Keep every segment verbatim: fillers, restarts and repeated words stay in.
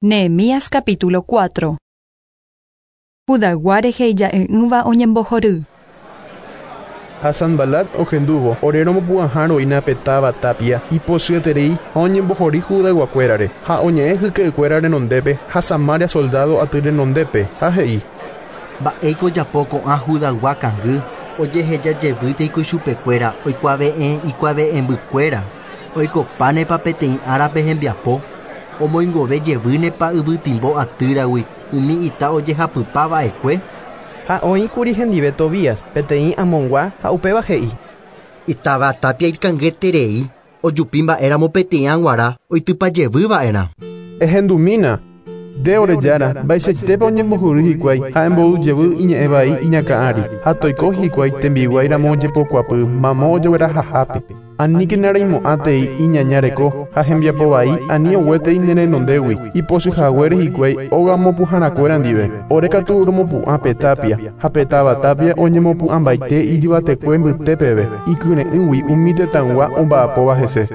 Nehemías capítulo cuatro. Judaygua rehe ija'e'ỹva oñembohory. Ha Sanbalat ohendúvo ore romopu'ãha pe táva tapia ipochyeterei ha oñembohory Judayguakuérare ha oñe'ẽ hyke'ykuéra renondépe ha Samaria soldado aty renondépe ha he'i: Mba'éiko ojapo ko'ã Judaygua kangy ojehejajevýteiko ichupekuéra oikuave'ẽ ikuave'ẽmbykuéra oikopánepa peteĩ árape hembiapo omoingove jevýnepa yvytimbo atýragui umi ita ojehapypava'ekue. Ha oĩkuri hendive Tobías peteĩ Amongua ha upéva he'i: Itáva tapia ikangeterei ojupi mba'éramo peteĩ aguara oitypajevýva'erã. Ehendumína nde ore jára mba'eichaitépa oñembohory hikuái ha embou jevy iñe'ẽ vai iñakã ári ha toiko hikuái tembiguáiramo ojepokuapy mamo ojeguerahahápe aníkena reimo'ãtei iñaña reko ha hembiapo vai ani oguétei ne renondégui ipochyhaguére hikuái óga mopu'ãharakuéra ndive ore katu romopu'ã pe tapia ha pe táva tapia oñemopu'ãmbaite ijyvatekue mbytépeve ikyre'ỹgui umi tetãygua omba'apóva hese.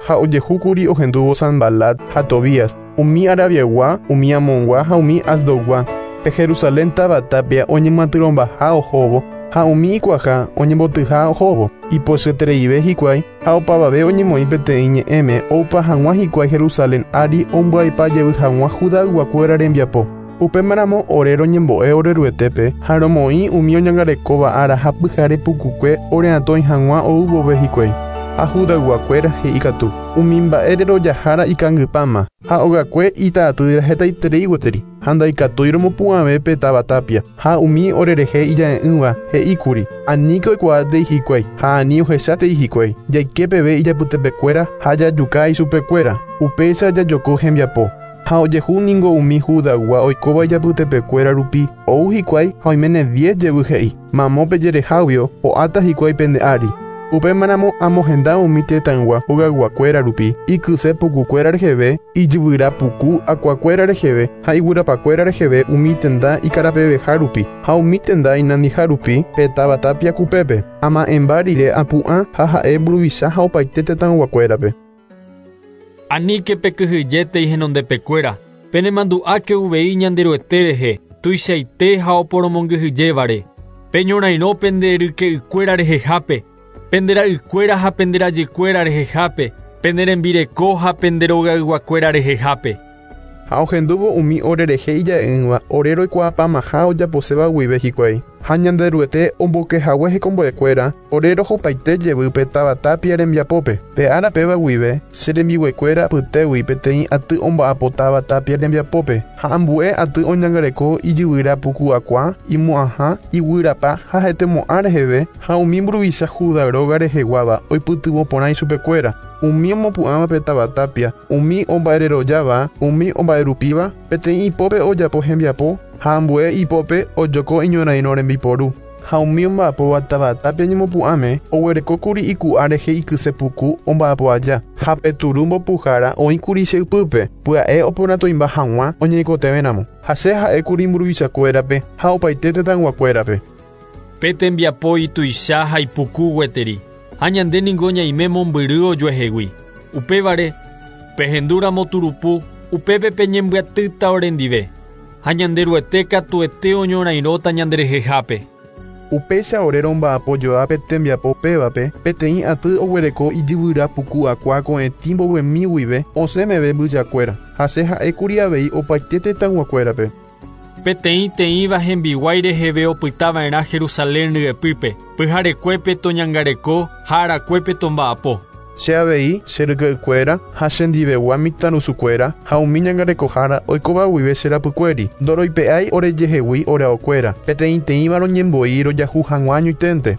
Ha ojehúkuri ohendúvo Sanbalat ha Tobías umi Arabiaygua, umi Amongua ha umi Asdodgua pe Jerusalén táva tapia oñemyatyrõmbaha ohóvo ha umi ikuaha oñembotyha ohóvo ipochyetereive hikuái ha opavave oñemoĩ peteĩ ñe'ẽme oupa hag̃ua hikuái Jerusalén ári ombyaipa jevy hag̃ua Judayguakuéra rembiapo. Upémaramo ore roñembo'e oreruetépe ha romoĩ umi oñangarekóva ára ha pyhare pukukue oreatõi hag̃ua ou vove hikuái. Ha Judayguakuéra he'i katu umi mba'e rerojahára ikangypáma ha ogakue ita'atýra hetaiterei gueteri ha ndaikatúi romopu'ãve pe táva tapia ha umi orerehe ija'e'ỹva he'íkuri aníke oikuaátei hikuái ha ani ohechátei hikuái jaike peve ijapytepekuéra ha jajuka ichupekuéra upéicha jajoko hembiapo. Ha ojehu ningo umi Judaygua oikóva ijapytepekuéra rupi ou hikuái ha oiméne diez jevy he'i mamo pejereháguio ho'áta hikuái pende ári. Upémaramo amohenda umi tetãygua hogayguakuéra rupi ikyse pukukuéra reheve ijyvyrapuku akuakuéra reheve ha iguyrapakuéra reheve umi tenda ikarapeveha rupi ha umi tenda inandiha rupi pe táva tapia kupépe ama'ẽmba rire apu'ã ha ha'e mburuvicha ha opaite tetãyguakuérape. Aníke pekyhyjétei henondepekuéra penemandu'áke uvei Ñanderuete rehe tuichaite ha oporomongyhyjévare peñorairõ pende ryke'ykuéra rehehápe pendera'ykuéra ha penderajykuéra rehehápe penderembireko ha penderogayguakuéra rehehápe. Ha ohendúvo umi orerehe ija'e'ỹva ore roikuaapamaha ojaposéva guive hikuái ha Ñanderuete ombokehague hekombo'ekuéra ore rohopaite jevy pe táva tapia rembiapópe pe ára péva guive che rembiguaikuéra apytégui peteĩ aty omba'apo táva tapia rembiapópe ha ambue aty oñangareko ijyvyrapuku akua imo'ãha iguyrapa ha hetemo'ã reheve ha umi mburuvicha Judá róga reheguáva oipytyvõ porã ichupekuéra umi omopu'ãva pe táva tapia umi omba'ererojáva umi omba'erupíva peteĩ ipópe ojapo hembiapo ha ambue ipópe ojoko iñorairõ rembiporu ha umi omba'apóva táva tapia ñemopu'ãme oguerekókuri iku'a rehe ikysepuku omba'apo aja ha pe turu mbopuhára oĩkuri che ypýpe pya'e oporãtoimba hag̃ua oñeikotevẽramo ha che ha'ékuri mburuvichakuérape ha opaite tetãyguakuérape. Pe tembiapo ituicha ha ipuku gueteri ha ñande ningo ñaime mombyry ojuehegui upévare pehendúramo turupu upépe peñembyatýta orendive ha Ñanderuete katuete oñorairõta ñanderehehápe. Upéicha ore romba'apo joa pe tembiapo pévape peteĩ aty oguereko ijyvyrapuku akua ko'ẽtĩ mbovymi guive osẽ meve mbyjakuéra ha che ha'ékuri avei opaite tetãyguakuérape. Peteĩ teĩva hembiguái reheve opytava'erã Jerusalén ryepýpe pyharekuépe toñangareko ha arakuépe tomba'apo. Che avei che ryke'ykuéra ha chendivegua mitãrusukuéra ha umi ñangarekohára oikóva guive che rapykuéri ndoroipe'ái orejehegui oreaokuéra peteĩteĩva roñembo'i rojahu hag̃ua añoiténte.